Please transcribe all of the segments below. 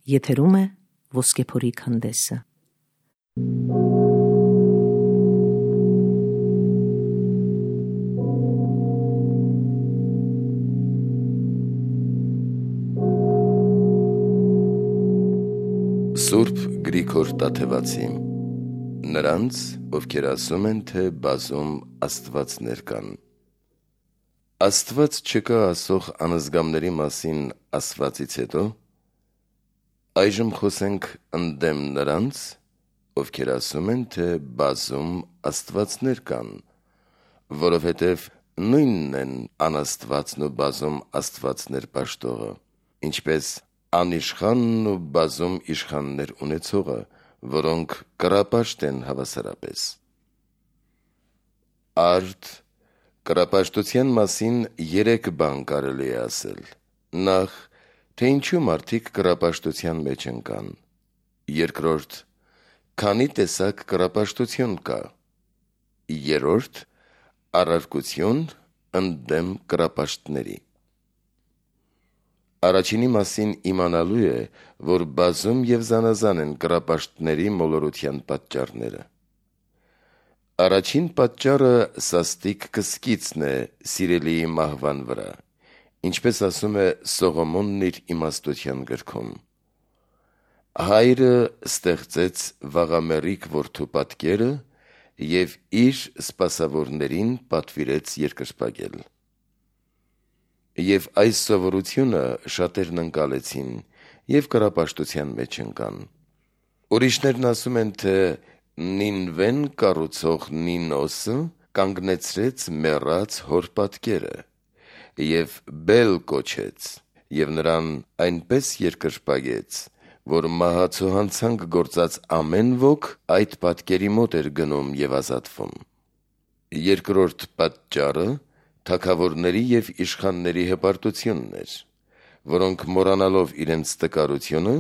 Եթերում է Ոսկեփորի քանդեսը։ Սուրբ Գրիգոր Տաթևացի, նրանց, ովքեր ասում են, թե բազում աստվածներ կան։ Աստված չկա ասող անզգամների մասին ասվածից հետո, այժմ խոսենք ընդդեմ նրանց, ովքեր ասում են, թե բազում աստվածներ կան, որովհետև նույնն են անաստվածն ու բազում աստվածներ պաշտողը, ինչպես անիշխանն ու բազում իշխաններ ունեցողը, որոնք կռապաշտ են հավասարապես։ Արդ կռապաշտության մասին 3 բան կարելի է ասել. Նախ, թե ինչու մարդիկ կռապաշտության մեջ ընկան. Երկրորդ, քանի տեսակ կռապաշտություն կա. Երրորդ, առարկություն ընդդեմ կռապաշտների։ Առաջինի մասին իմանալու է, որ բազում և զանազան են կռապաշտների մոլորության պատճառները։ Առաջին պատճառը սաստիկ կսկիցն է սիրելիի մահվան վրա, ինչպես ասում է Սողոմոնն իր իմաստության գրքում. Հայրը ստեղծեց վաղամեռիկ որդու պատկերը և իր սպասավորներին պատվիրեց երկրպագել։ Եվ այս սովորությունը շատերն ընկալեցին և կռապաշտության մեջ ընկան։ Ուրիշներն ասում են, թե Նինվեն կառուցող Նինոսը կանգնեցրեց մեռած հոր պատկերը և Բել կոչեց և նրան այնպես երկրպագեց, որ մահացու հանցանք գործած ամեն ոք այդ պատկերի մոտ էր գնում և ազատվում։ Երկրորդ պատճառը թագավորների և իշխանների հպարտությունն էր, որոնք մոռանալով իրենց տկարությունը,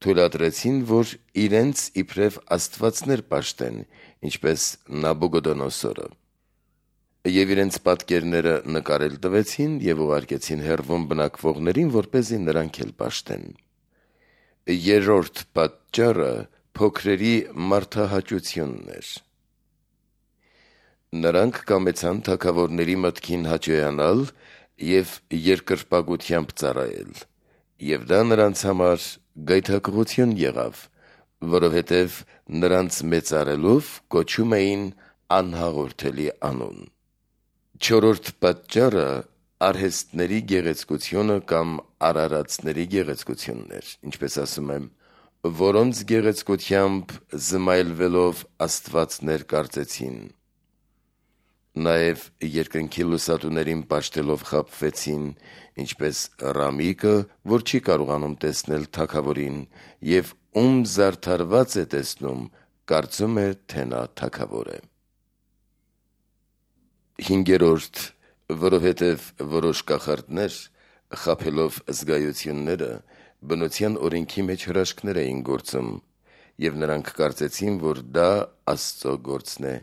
թույլատրեցին, որ իրենց իբրև աստվածներ պաշտեն, ինչպես Նաբուգոդոնոսորը, և իրենց պատկերները նկարել տվեցին և ուղարկեցին հեռվում բնակվողներին, որպեսզի նրանք էլ պաշտեն։ Երրորդ պատճառը փոքրերի մարդահաճությունն էր։ Նրանք կամեցան թագավորների մտքին հաճոյանալ և երկրպագությամբ ծառայել, և դա նրանց համար գայթակղություն եղավ, որովհետև նրանց մեծարելով կոչում էին անհաղորդելի անուն։ Չորրորդ պատճառը արհեստների գեղեցկությունը կամ արարածների գեղեցկությունն էր, ինչպես ասում եմ, որոնց գեղեցկությամբ զմայլվելով աստվածներ կարծեցին, նաև երկնքի լուսատուներին պաշտելով խաբվեցին, ինչպես Ռամիկը, որ չի կարողանում տեսնել թագավորին, և ում զարդարված է տեսնում, կարծում է, թե նա թագավոր է։ Հինգերորդ, որովհետև որոշ կախարդներ, խաբելով զգայությունները, բնության օրենքի մեջ հրաշքներ էին գործում, և նրանք կարծեցին, որ դա Աստծո գործն է,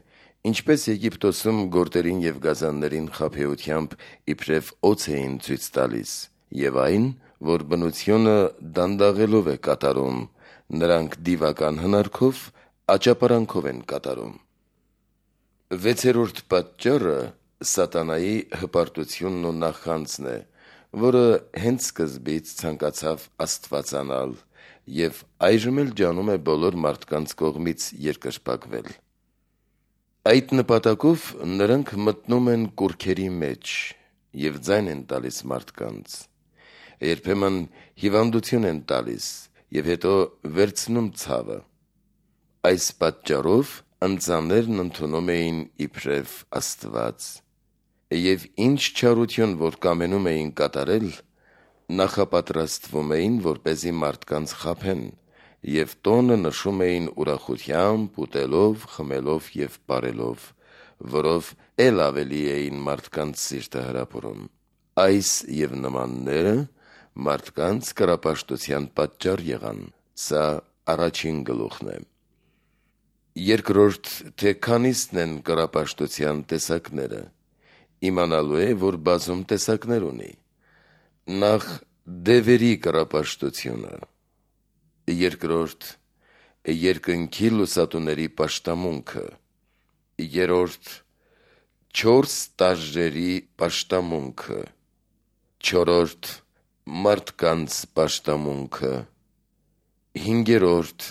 ինչպես Եգիպտոսում գորտերին և գազաններին խաբեությամբ իբրև օձ էին ցույց տալիս, և այն, որ բնությունը դանդաղելով է կատարում, նրանք դիվական հնարքով, աճապարանքով են կատարում։ Վեցերորդ պատճառը սատանայի հպարտությունն ու նախանձն է, որը հենց սկզբից ցանկացավ աստվածանալ և այժմ էլ ջանում է բոլոր մարդկանց կողմից երկրպագվել։ Այդ նպատակով նրանք մտնում են կուռքերի մեջ և ձայն են տալիս մարդկանց, երբեմն հիվանդություն են տալիս և հետո վերցնում ցավը։ Այս պատճառով ընծաներն ընդունում էին իբրև Աստված, և ինչ չարություն որ կամենում էին կատարել, նախապատրաստվում էին, որպեսզի մարդկանց խաբեն, և տոնը նշում էին ուրախությամբ, ուտելով, խմելով և պարելով, որով էլ ավելի էին մարդկանց սիրտը հրապուրում։ Այս և նմանները մարդկանց կռապաշտության պատճառ եղան։ Սա առաջին գլուխն է։ Երկրորդ, թե քանիսն են կռապաշտության տեսակները, իմանալու է, որ բազում տեսակներ ունի։ Նախ, դևերի կռապաշտությունը, Երկրորդ, երկնքի լուսատուների պաշտամունքը։ Երրորդ, 4 տարժերի պաշտամունքը։ Չորրորդ, մարդկանց պաշտամունքը։ Հինգերորդ,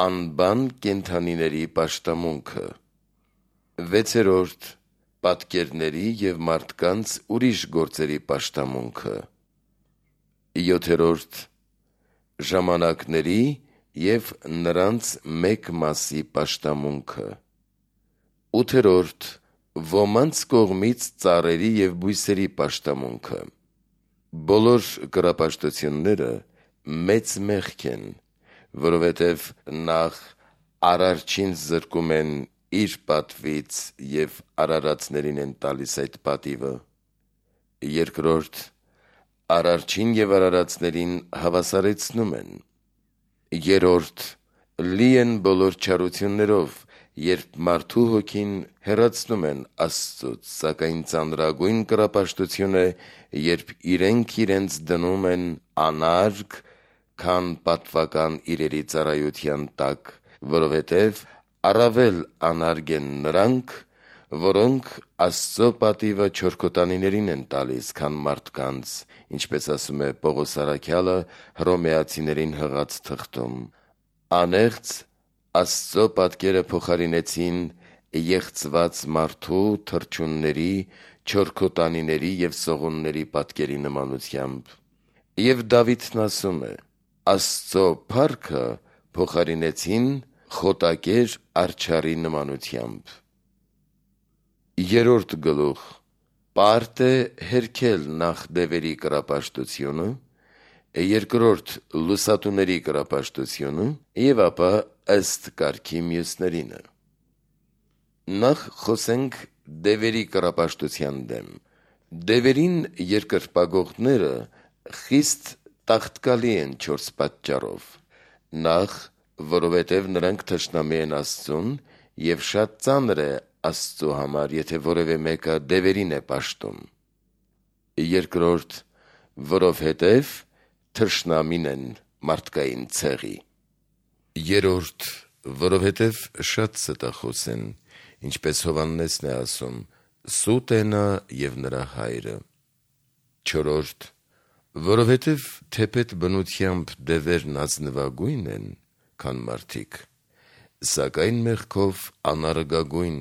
անբան կենդանիների պաշտամունքը։ Վեցերորդ, պատկերների և մարդկանց ուրիշ գործերի պաշտամունքը։ Յոթերորդ, ժամանակների և նրանց մեկ մասի պաշտամունքը։ Ութերորդ, ոմանց կողմից ծառերի և բույսերի պաշտամունքը։ Բոլոր կռապաշտությունները մեծ մեղք են, որովհետև նախ Արարչին զրկում են իր պատվից և արարածներին են տալիս այդ պատիվը։ Երկրորդ, Արարչին և արարածներին հավասարեցնում են։ Երրորդ, լի են բոլոր չարություններով, երբ մարդու հոգին հեռացնում են Աստծուց, սակայն ծանրագույն կռապաշտություն է, երբ իրենք իրենց դնում են անարգ, քան պատվական իրերի ծառայության տակ, որովհետև առավել անարգ են նրանք, որոնք Աստծո պատիվը չորքոտանիներին են տալիս, քան մարդկանց, ինչպես ասում է Պողոս առաքյալը Հռոմեացիներին հղած թղթում. անեղծ Աստծո պատկերը փոխարինեցին եղծված մարդու, թռչունների, չորքոտանիների և սողունների պատկերի նմանությամբ։ Եվ Դավիթն ասում է. Աստծո փառքը փոխարինեցին խոտակեր արջառի նմանությամբ։ Երրորդ գլուխ. պարտ է հերքել նախ դևերի կռապաշտությունը, երկրորդ լուսատուների կռապաշտությունը և ապա ըստ կարգի մյուսներինը։ Նախ խոսենք դևերի կռապաշտության դեմ։ Դևերին երկրպագողները խիստ տաղտկալի են 4 պատճառով։ Նախ, որովհետև նրանք թշնամի են Աստծուն, և շատ ծանր է Աստծու համար, եթե որևէ մեկը դևերին է պաշտում։ Երկրորդ, որովհետև թշնամին են մարդկային ցեղի։ Երրորդ, որովհետև շատ ստախոս են, ինչպես Հովհաննեսն է ասում. սուտ է նա և նրա հայրը։ Չորրորդ, որովհետև թեպետ բնությամբ դևերն ազնվագույն են, քան մարդիկ, սակայն մեղքով անարգագույն,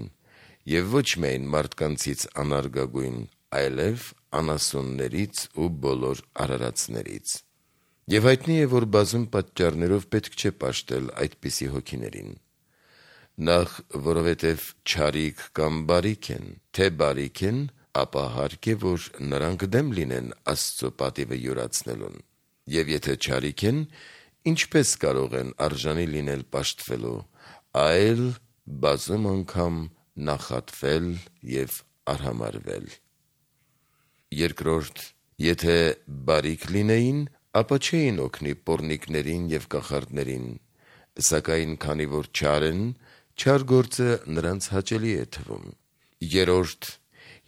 և ոչ միայն մարդկանցից անարգագույն, այլև անասուններից ու բոլոր արարածներից։ Եվ հայտնի է, որ բազում պատճառներով պետք չէ պաշտել այդպիսի հոգիներին։ Նախ, որովհետև չարիք կամ բարիք են, թե բարիք են, ապա հարկ է, որ նրանք դեմ լինեն Աստծո պատիվը յուրացնելուն։ Եվ եթե չարիք են, ինչպես կարող են արժանի լինել պաշտվելու, այլ բազում անգամ նախատվել և արհամարհվել։ Երկրորդ, եթե բարիք լինեին, ապա չէին օգնի պոռնիկներին և կախարդներին, սակայն քանի որ չար են, չար գործը նրանց հաճելի է թվում։ Երրորդ,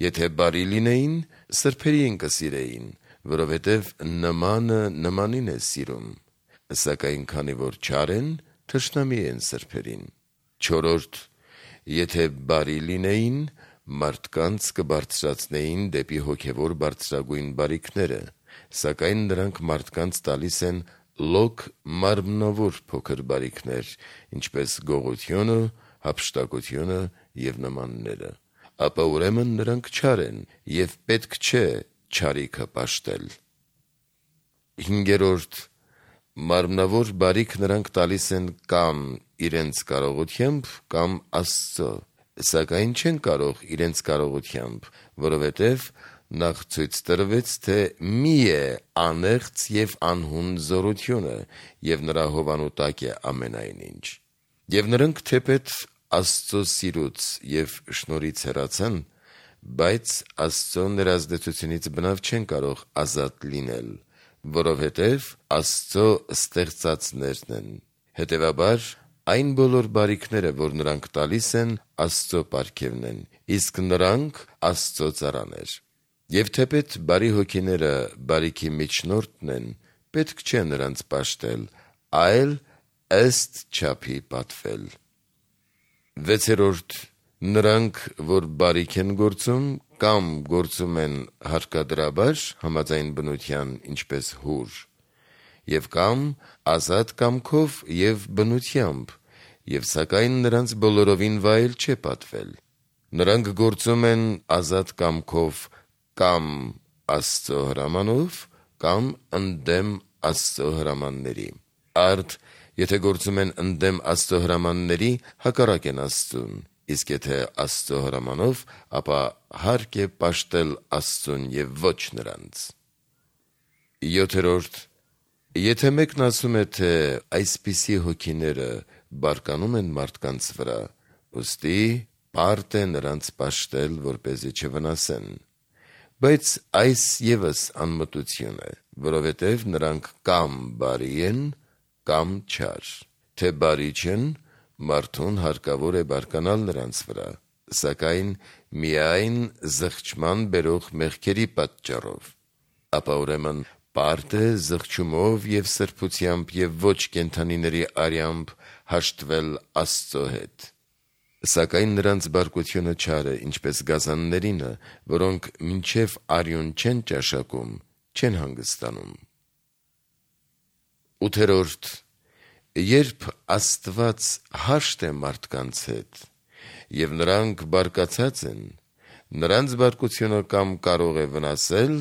եթե բարի լինեին, սրբերին կսիրեին, որովհետև նմանը նմանին է սիրում, սակայն քանի որ չար են, թշնամի են սրբերին։ Չորրորդ, եթե բարի լինեին, մարդկանց կբարձրացնեին դեպի հոգևոր բարձրագույն բարիքները, սակայն նրանք մարդկանց տալիս են լոկ մարմնավոր փոքր բարիքներ, ինչպես գողությունը, հափշտակությունը և նմանները, ապա ուրեմն նրանք չար են և պետք չէ չարիքը պաշտել։ Հինգերորդ, մարմնավոր բարիք նրանք տալիս են կամ իրենց կարողությամբ, կամ Աստծո, սակայն չեն կարող իրենց կարողությամբ, որովհետև նախ ցույց տրվեց, թե մի է անեղծ և անհուն զորությունը, և նրա հովանու տակ է ամենայն ինչ։ Եվ նրանք թեպետ Աստծո սիրուց և շնորհից հեռացան, բայց Աստծո ներազդեցությունից բնավ չեն կարող ազատ լինել, որովհետև Աստծո ստեղծածներն են։ Հետևաբար, այն բոլոր բարիքները, որ նրանք տալիս են, Աստծո պարգևն են, իսկ նրանք Աստծո ծառաներ։ Եվ թեպետ բարի հոգիները բարիքի միջնորդն են, պետք չէ նրանց պաշտել, այլ ըստ չափի պատվել։ 6. Նրանք, որ բարիք են գործում կամ գործում են հարկադրաբար համաձայն բնության, ինչպես հուր, եւ կամ ազատ կամքով եւ բնությամբ, եւ սակայն նրանց բոլորովին վայել չէ պատվել։ Նրանք գործում են ազատ կամքով կամ Աստծո հրամանով կամ ընդդեմ Աստծո հրամանների։ Արդ, եթե գործում են ընդդեմ Աստծո հրամանների, հակառակ են Աստծուն, իսկ եթե Աստծո հրամանով, ապա հարկ է պաշտել Աստծուն եւ ոչ նրանց։ 7. Եթե մեկն ասում է, թե այսպիսի հոգիները բարկանում են մարդկանց վրա, ուստի պարտ է նրանց պաշտել, որպեսզի չվնասեն։ Բայց այս ևս անմտություն է, որովհետև նրանք կամ բարի են, կամ չար, թե բարի չեն, մարդուն հարկավոր է բարկանալ նրանց վրա, սակայն միայն զղջման բերող մեղքերի պատճառով, ապա ուրեմն պարտ է զղջումով և սրբությամբ և ոչ կենդանիների արյամբ հաշտվել Աստծո հետ։ Սակայն նրանց բարկությունը չար է, ինչպես գազաններինը, որոնք մինչև արյուն չեն ճաշակում, չեն հանգստանում։ 8. Երբ Աստված հաշտ է մարդկանց հետ, և նրանք բարկացած են, նրանց բարկությունը կամ կարող է վնասել,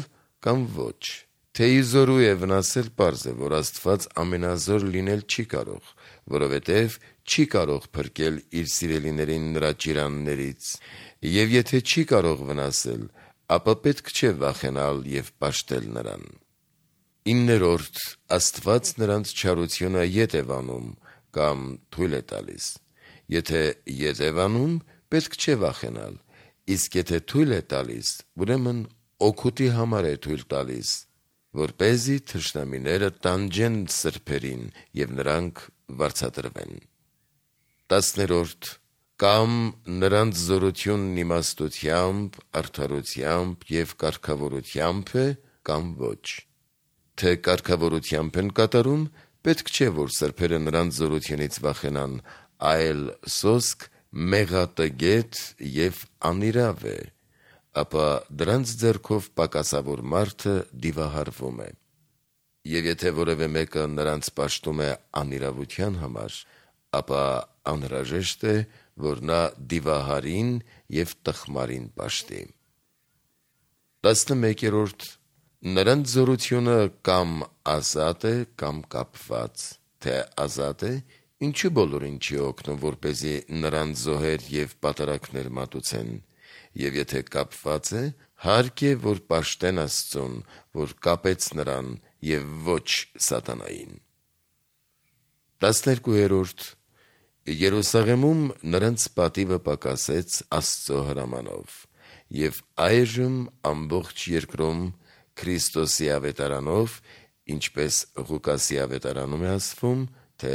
կամ ոչ։ Թե իզորու է վնասել, պարզ է, որ Աստված ամենազոր լինել չի կարող, որովհետև չի կարող փրկել իր սիրելիներին նրա ճիրաններից, և եթե չի կարող վնասել, ապա պետք չէ վախենալ և պաշտել նրան։ 9. Աստված նրանց չարությունը ետ է վանում կամ թույլ է տալիս։ Եթե ետ է վանում, պետք չէ վախենալ, իսկ եթե թույլ է տալիս, ուրեմն օգուտի համար է թույլ տալիս, որպեսզի թշնամիները տանջեն սրբերին և նրանք վարձատրվեն։ 10. Կամ նրանց զորությունն իմաստությամբ, արդարությամբ և կարգավորությամբ է, կամ ոչ։ Թե կարգավորությամբ են կատարում, պետք չէ, որ սրբերը նրանց զորությունից վախենան, այլ սոսկ մեղատգետ և անիրավ է, ապա դրանց ձեռքով պակասավոր մարդը դիվահարվում է։ Եվ եթե որևէ մեկը նրանց պաշտում է անիրավության համար, ապա անհրաժեշտ է, որ նա դիվահարին և տխմարին պաշտի։ 11. Նրանց զորությունը կամ ազատ է, կամ կապված, թե ազատ է, ինչու բոլորին չի օգնում, որպեսզի նրանց զոհեր և պատարագներ մատուցեն, և եթե կապված է, հարկ է, որ պաշտեն Աստծուն, որ կապեց նրան և ոչ սատանային։ 12. Երուսաղեմում նրանց պատիվը պակասեց Աստծո հրամանով, և այժմ ամբողջ երկրում Քրիստոսի ավետարանով, ինչպես Ղուկասի ավետարանում է ասվում, թե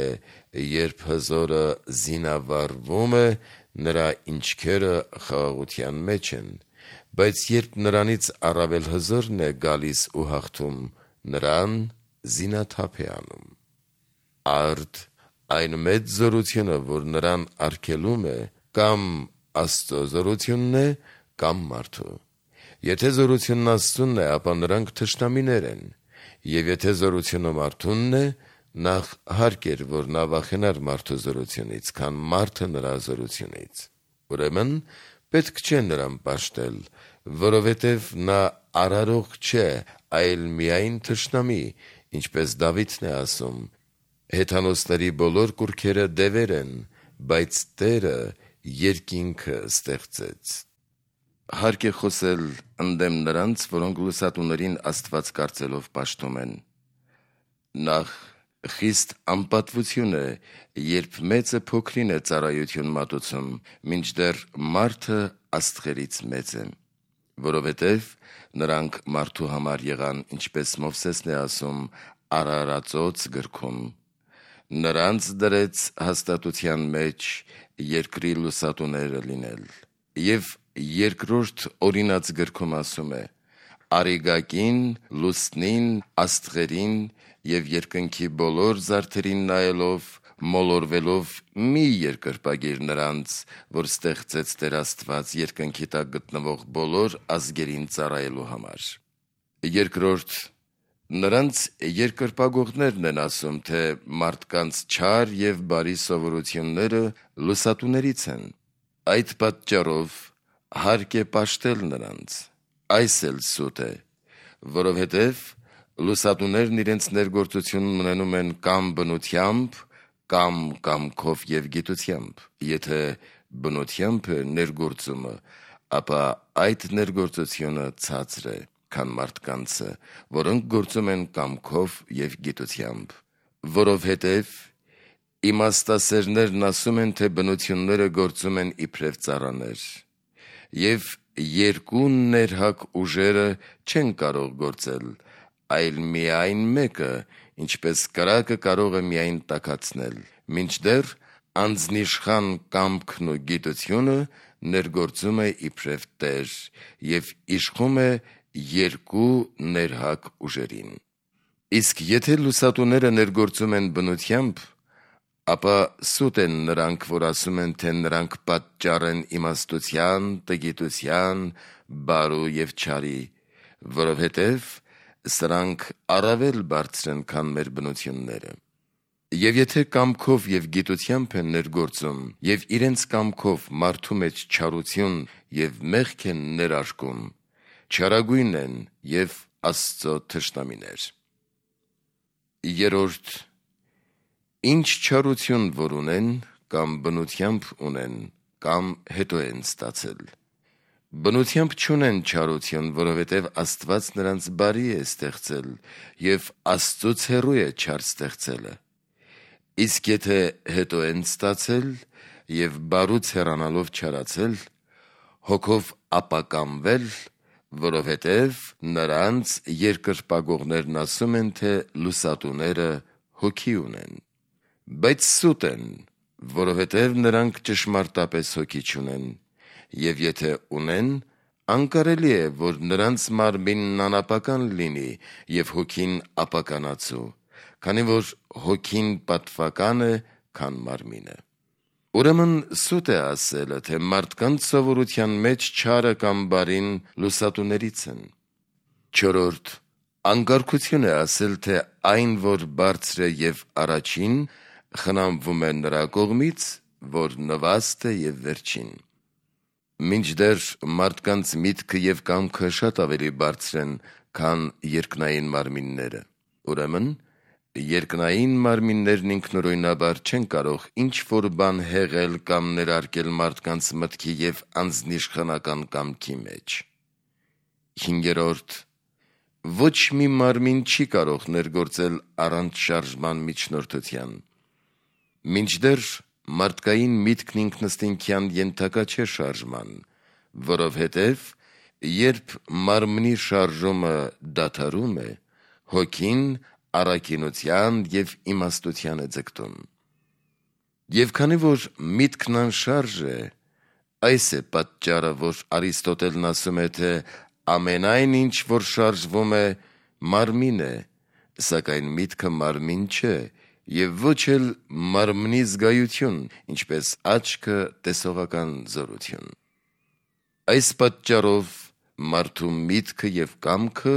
երբ հզորը զինավառվում է, նրա ինչքերը խաղաղության մեջ են, բայց երբ նրանից առավել հզորն է գալիս ու հաղթում, նրան զինաթափ է անում։ Արդ այն մեծ զորությունը, որ նրան արգելում է, կամ Աստծո զորությունն է, կամ մարդու։ Եթե զորությունն Աստծունն է, ապա նրանք թշնամիներ են, և եթե զորությունը մարդունն է, նախ հարկ էր, որ նա վախենար մարդու զորությունից, քան մարդը նրա զորությունից։ Ուրեմն պետք չէ նրան պաշտել, որովհետև նա արարող չէ, այլ միայն թշնամի, ինչպես Դավիթն է ասում. «Հեթանոսների բոլոր կուռքերը դևեր են, բայց Տերը երկինքը ստեղծեց»։ Հարկ է խոսել ընդդեմ նրանց, որոնք լուսատուներին Աստված կարծելով պաշտում են։ Նախ խիստ անպատվություն է, երբ մեծը փոքրին է ծառայություն մատուցում, մինչդեռ մարդը աստղերից մեծ է, որովհետև նրանք մարդու համար եղան, ինչպես Մովսեսն է ասում Արարածոց գրքում. «Նրանց դրեց հաստատության մեջ երկրի լուսատուները լինել»։ Եվ երկրորդ օրինաց գրքում ասում է. «Արիգակին, լուսնին, աստղերին եւ երկնքի բոլոր զարդերին նայելով, մոլորվելով մի երկրպագիր նրանց, որ ստեղծեց Տեր Աստված երկնքի տակ գտնվող բոլոր ազգերին ծառայելու համար։ Երկրորդ, նրանց երկրպագողներն են ասում, թե մարդկանց չար եւ բարի սովորությունները լուսատուներից են։ Այդ պատճառով հարկ է պաշտել նրանց։ Այս էլ սուտ է, որովհետև լուսատուներն իրենց ներգործությունն ունենում են կամ բնությամբ, կամ կամքով եւ գիտությամբ։ Եթե բնությամբ է ներգործումը, ապա այդ ներգործությունը ցածր է, քան մարդկանցը, որոնք գործում են կամքով եւ գիտությամբ, որովհետև իմաստասերներն ասում են, թե բնությունները գործում են իբրև ծառաներ, եւ երկու ներհակ ուժերը չեն կարող գործել, այլ միայն մեկը, ինչպես կրակը կարող է միայն տաքացնել, մինչդեռ անձնիշխան կամքն ու գիտությունը ներգործում է իբրև Տեր եւ իշխում է երկու ներհակ ուժերին։ Իսկ եթե լուսատուները ներգործում են բնությամբ, ապա սուտ են նրանք, որ ասում են, թե նրանք պատճառ են իմաստության, տգիտության, բարու եւ չարի, որովհետև սրանք առավել բարձր են, քան մեր բնությունները։ Եվ եթե կամքով եւ գիտությամբ են ներգործում եւ իրենց կամքով մարդու մեջ չարություն եւ մեղք են ներարկում, չարագույն են եւ Աստծո թշնամիներ։ Երորդ, ինչ չարություն որ ունեն, կամ բնությամբ ունեն, կամ հետո են ստացել։ Բնությամբ չունեն չարություն, որովհետև Աստված նրանց բարի է ստեղծել եւ Աստծուց հեռու է չար ստեղծելը։ Իսկ եթե հետո են ստացել եւ բարուց հեռանալով չարացել, հոգով ապականվել, որովհետև նրանց երկրպագողներն ասում են, թե լուսատուները հոգի ունեն։ Բայց սուտ են, որովհետև նրանք ճշմարտապես հոգի չունեն, եւ եթե ունեն, անկարելի է, որ նրանց մարմինն անապական լինի եւ հոգին ապականացու, քանի որ հոգին պատվական է, քան մարմինը։ Ուրեմն սուտ է ասելը, թե մարդկանց սովորության մեջ չարը կամ բարին լուսատուներից են։ Չորրորդ, անկարգություն է ասել, թե այն, որ բարձր է եւ առաջին, խնամվում է նրա կողմից, որ նվաստ է եւ վերջին։ Մինչդեռ մարդկանց միտքը եւ կամքը շատ ավելի բարձր են, քան երկնային մարմինները։ Ուրեմն երկնային մարմիններն ինքնուրույնաբար չեն կարող ինչ-որ բան հեղել կամ ներարկել մարդկանց մտքի եւ անձնիշխանական կամքի մեջ։ Հինգերորդ, ոչ մի մարմին չի կարող ներգործել առանց շարժման միջնորդության։ Մինչդեռ մարդկային միտքն ինքնըստինքյան ենթակա չէ շարժման, որովհետև երբ մարմնի շարժումը դադարում է, հոգին առաքինության եւ իմաստության է ձգտում։ Եվ քանի որ միտքն անշարժ է, այս է պատճառը, որ Արիստոտելն ասում է, թե ամենայն ինչ, որ շարժվում է, մարմին է, սակայն միտքը մարմին չէ, եւ ոչ էլ մարմնի զգայություն, ինչպես աչքը տեսողական զորություն։ Այս պատճառով մարդու միտքը եւ կամքը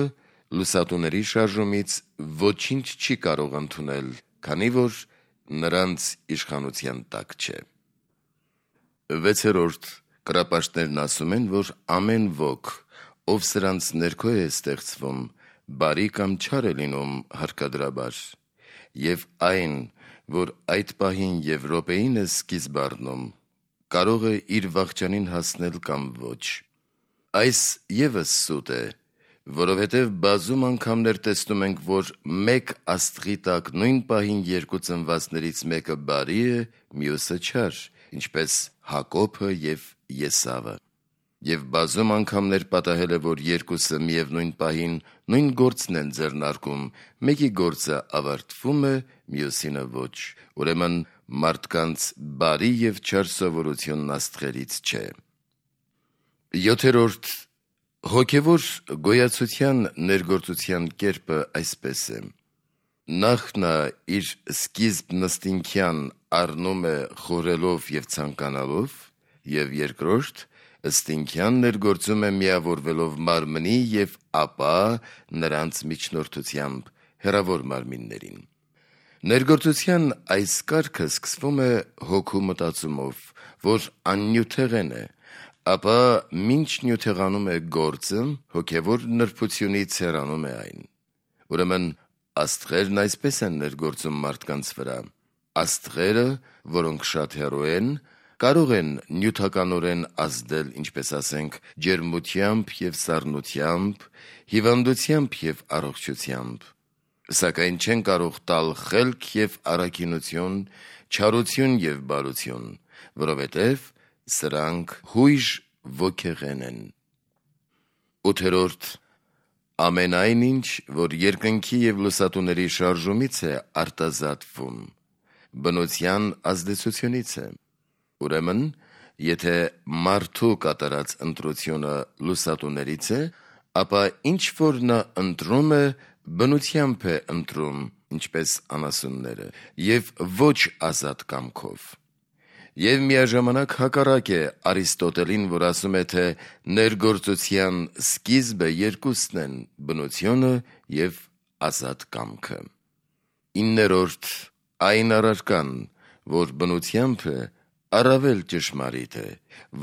լուսատուների շարժումից ոչինչ չի կարող ընդունել, քանի որ նրանց իշխանության տակ չէ։ Վեցերորդ, կրապաշտներն ասում են, որ ամեն ոք, ով սրանց ներքո է ստեղծվում, բարի կամ չար է լինում հարկադրաբար, եւ այն, որ այդ պահին եւ րոպեին է սկիզբ առնում, կարող է իր վախճանին հասնել կամ ոչ։ Այս եւս սուտ է, որովհետև բազում անգամներ տեսնում ենք, որ մեկ աստղի տակ նույն պահին երկու ծնվածներից մեկը բարի է, մյուսը չար, ինչպես Հակոբը եւ Եսավը։ Եվ բազում անգամներ պատահել է, որ երկուսը միևնույն պահին նույն գործն են ձեռնարկում, մեկի գործը ավարտվում է, մյուսինը ոչ։ Ուրեմն մարդկանց բարի եւ չար սովորությունն աստղերից չէ։ Յոթերորդ, հոգևոր գոյացության ներգործության կերպը այսպես է. նախ նա իր սկիզբ նստինքյան առնում է խորելով և ցանկանալով, և երկրորդ ըստինքյան ներգործում է միավորվելով մարմնի և ապա նրանց միջնորդությամբ հեռավոր մարմիններին։ Ներգործության այս կարգը սկսվում է հոգու մտածումով, որ աննյութեղեն է, ապա մինչ նյութեղանում է գործը, հոգևոր նրբությունից հեռանում է այն։ Ուրեմն աստղերն այսպես են ներգործում մարդկանց վրա։ Աստղերը, որոնք շատ հեռու են, կարող են նյութականորեն ազդել, ինչպես ասենք, ջերմությամբ և սառնությամբ, հիվանդությամբ և առողջությամբ, սակայն չեն կարող տալ խելք և առաքինություն, չարություն և բարություն, որովհետև սրանք հույժ ոգեղեն են։ 8. Ամենայն ինչ, որ երկնքի և լուսատուների շարժումից է արտազատվում, բնության ազդեցությունից է։ Ուրեմն, եթե մարդու կատարած ընտրությունը լուսատուներից է, ապա ինչ որ նա ընտրում է, բնությամբ է ընտրում, ինչպես անասունները, և ոչ ազատ կամքով։ Եվ միաժամանակ հակառակ է Արիստոտելին, որ ասում է, թե ներգործության սկիզբը երկուսն են՝ բնությունը և ազատ կամքը։ 9. Այն առարկան, որ բնությամբ է, առավել ճշմարիտ է,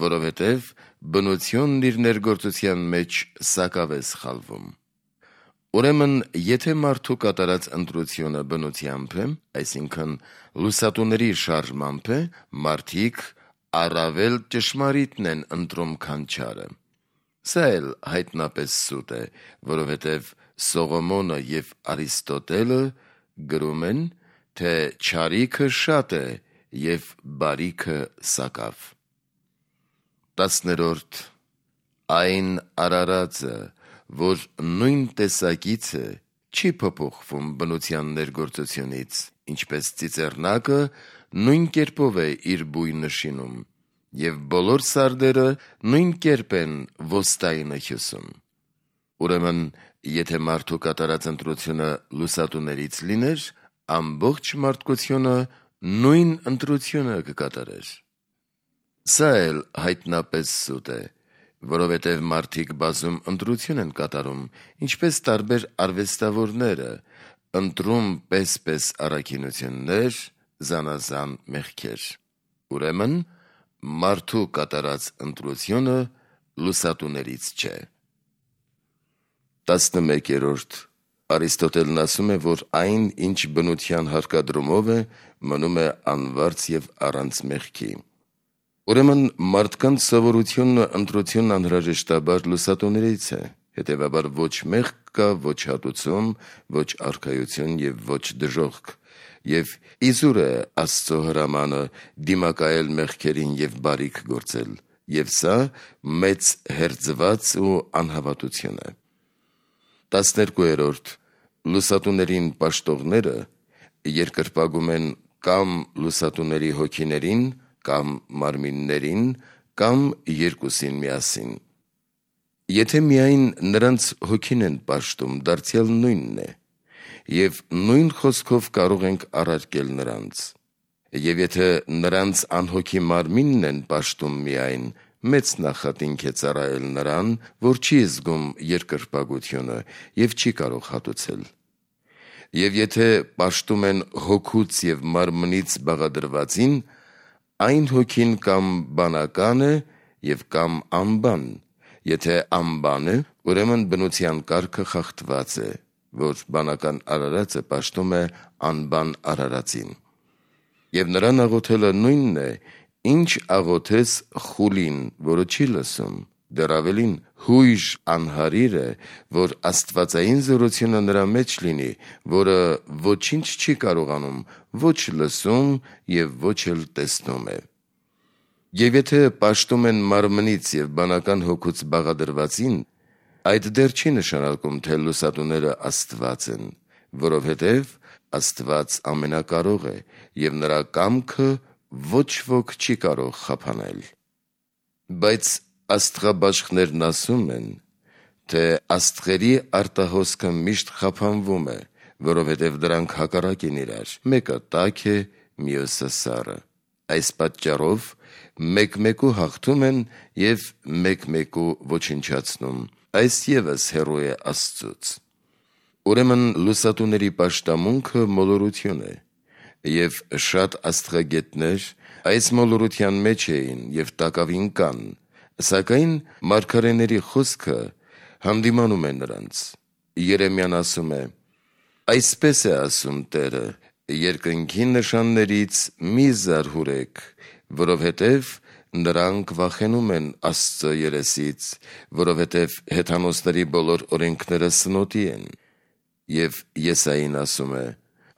որովհետև բնությունն իր ներգործության մեջ սակավ է սխալվում։ Ուրեմն, եթե մարդու կատարած ընտրությունը բնությամբ է, այսինքն լուսատուների շարժմամբ է, մարդիկ առավել ճշմարիտն են ընտրում, քան չարը։ Սա էլ հայտնապես սուտ է, որովհետև Սողոմոնը և Արիստոտելը գրում են, թե չարիքը շատ է և բարիքը սակավ։ 10. Այն արարածը, որ նույն տեսակից է, չի փոփոխվում բնության ներգործությունից, ինչպես ծիծեռնակը նույն կերպով է իր բույնը շինում, և բոլոր սարդերը նույն կերպ են ոստայինը հյուսում։ Ուրեմն, եթե մարդու կատարած ընտրությունը լուսատուներից լիներ, ամբողջ մարդկությունը նույն ընտրությունը կկատարեր։ Սա էլ հայտնապես սուտ է, որովհետև մարդիկ բազում ընտրություն են կատարում, ինչպես տարբեր արվեստավորները, ընտրում պես-պես առաքինություններ, զանազան մեղքեր։ Ուրեմն, մարդու կատարած ընտրությունը լուսատուներից չէ։ 11. Արիստոտելն ասում է, որ այն, ինչ բնության հարկադրումով է, մնում է անվարձ և առանց մեղքի։ Ուրեմն, մարդկանց սովորությունն ու ընտրությունն անհրաժեշտաբար լուսատուներից է, հետևաբար ոչ մեղք կա, ոչ հատուցում, ոչ արքայություն և ոչ դժոխք, և իզուր է Աստծո հրամանը դիմակայել մեղքերին և բարիք գործել, և սա մեծ հերձված ու անհավատություն է։ 12. Լուսատուներին պաշտողները երկրպագում են կամ լուսատուների հոգիներին, կամ մարմիններին, կամ երկուսին միասին։ Եթե միայն նրանց հոգին են պաշտում, դարձյալ նույնն է, և նույն խոսքով կարող ենք առարկել նրանց։ Եվ եթե նրանց անհոգի մարմինն են պաշտում միայն, մեծ նախատինք է ծառայել նրան, որ չի զգում երկրպագությունը և չի կարող հատուցել։ Եվ եթե պաշտում են հոգուց և մարմնից բաղադրվածին, այն հոգին կամ բանական է և կամ անբան, եթե անբան է, ուրեմն բնության կարգը խախտված է, որ բանական արարածը պաշտում է անբան արարածին։ Եվ նրան աղոթելը նույնն է, ինչ աղոթես խուլին, որը չի լսում, դեռ ավելին հույժ անհարիր է, որ աստվածային զորությունը նրա մեջ լինի, որը ոչինչ չի կարողանում, ոչ լսում և ոչ էլ տեսնում է։ Եվ եթե պաշտում են մարմնից և բանական հոգուց բաղադրվածին, այդ դեռ չի նշանակում, թե լուսատուները Աստված են, որովհետև Աստված ամենակարող է, և նրա կամքը ոչ ոք չի կարող խափանել։ Բայց աստղաբաշխներն ասում են, թե աստղերի արտահոսքը միշտ խափանվում է, որովհետև դրանք հակառակ են իրար, մեկը տաք է, մյուսը սառը։ Այս պատճառով մեկ-մեկու հաղթում են և մեկ-մեկու ոչնչացնում, այս ևս հեռու է Աստծուց։ Ուրեմն լուսատուների պաշտամունքը մոլորություն է, և շատ աստղագետներ այս մոլորության մեջ էին և տակավին կան, սակայն մարգարեների խոսքը հանդիմանում է նրանց։ Երեմիան ասում է. «Այսպես է ասում Տերը. երկնքի նշաններից մի զարհուրեք, որովհետև նրանք վախենում են Աստծո երեսից, որովհետև հեթանոսների բոլոր օրենքները սնոտի են»։ Եվ Եսային ասում է.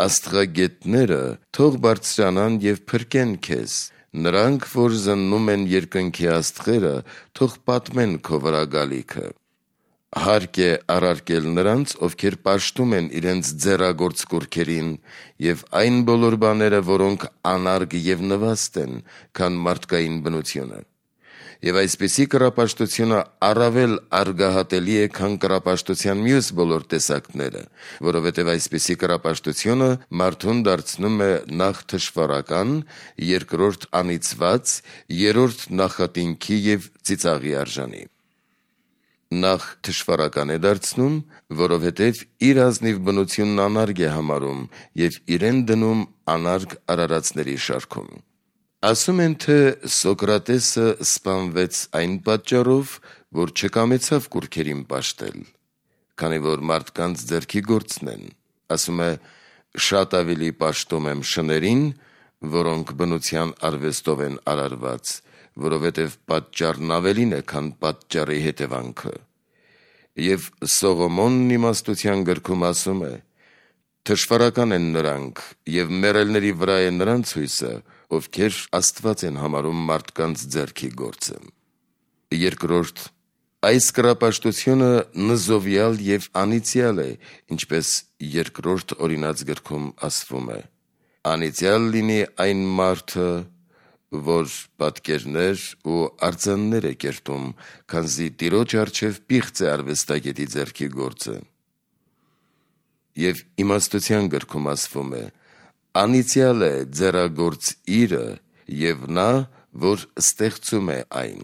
«Աստղագետները թող բարձրանան և փրկեն քեզ, նրանք, որ զննում են երկնքի աստղերը, թող պատմեն քո վրա գալիքը»։ Հարկ է առարկել նրանց, ովքեր պաշտում են իրենց ձեռագործ կուռքերին, և այն բոլոր բաները, որոնք անարգ և նվաստ են, քան մարդկային բնությունը։ Եվ այսպիսի կռապաշտությունը առավել արգահատելի է, քան կռապաշտության մյուս բոլոր տեսակները, որովհետև այսպիսի կռապաշտությունը մարդուն դարձնում է նախ թշվառական, երկրորդ անիծված, երրորդ նախատինքի և ծիծաղի արժանի։ Նախ թշվառական է դարձնում, որովհետև իր ազնիվ բնությունն անարգ է համարում և իրեն դնում անարգ արարածների շարքում։ Ասում են, թե Սոկրատեսը սպանվեց այն պատճառով, որ չկամեցավ կուռքերին պաշտել, քանի որ մարդկանց ձեռքի գործն են։ Ասում է. «Շատ ավելի պաշտում եմ շներին, որոնք բնության արվեստով են արարված, որովհետև պատճառն ավելին է, քան պատճառի հետևանքը»։ Եվ Սողոմոնն իմաստության գրքում ասում է. «Թշվառական են նրանք, և մեռելների վրա է նրանց հույսը, ովքեր Աստված են համարում մարդկանց ձեռքի գործը»։ Երկրորդ. այս կռապաշտությունը նզովյալ և անիծյալ է, ինչպես երկրորդ օրինաց գրքում ասվում է. «Անիծյալ լինի այն մարդը, որ պատկերներ ու արձաններ է կերտում, քանզի Տիրոջ առջև պիղծ է արվեստագետի ձեռքի գործը»։ Եվ իմաստության գրքում ասվում է. «Անիծյալ է ձեռագործ իրը և նա, որ ստեղծում է այն»։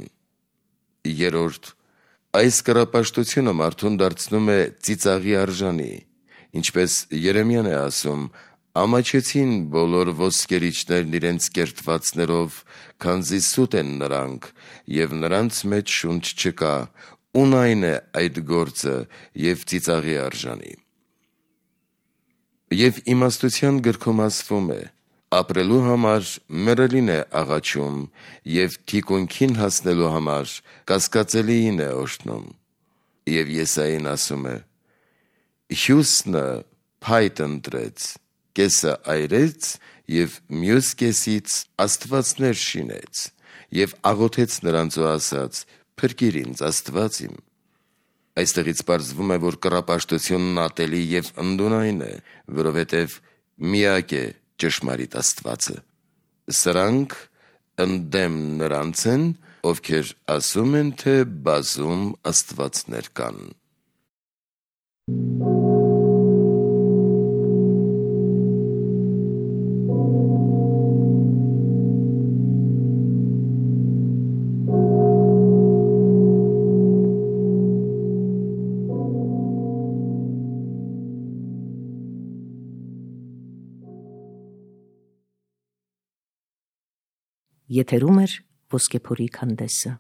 Երրորդ. այս կռապաշտությունը մարդուն դարձնում է ծիծաղի արժանի, ինչպես Երեմիան է ասում. «Ամաչեցին բոլոր ոսկերիչներն իրենց կերտվածներով, քանզի սուտ են նրանք, և նրանց մեջ շունչ չկա, ունայն է այդ գործը և ծիծաղի արժանի»։ Եվ իմաստության գրքում ասվում է. «Ապրելու համար մեռելին է աղաչում, և թիկունքին հասնելու համար կասկածելիին է օրհնում»։ Եվ Եսային ասում է. «Հյուսնը փայտ ընտրեց, կեսը այրեց և մյուս կեսից աստվածներ շինեց, և աղոթեց նրանց ու ասաց. «Փրկիր ինձ, Աստված իմ»։ Այստեղից պարզվում է, որ կռապաշտությունն ատելի և ընդունայն է, որովհետև միակ է ճշմարիտ Աստվածը։ Սրանք ընդդեմ նրանց են, ովքեր ասում են, թե բազում աստվածներ կան։ Եթերում է Ոսկեփորի քանդեսը։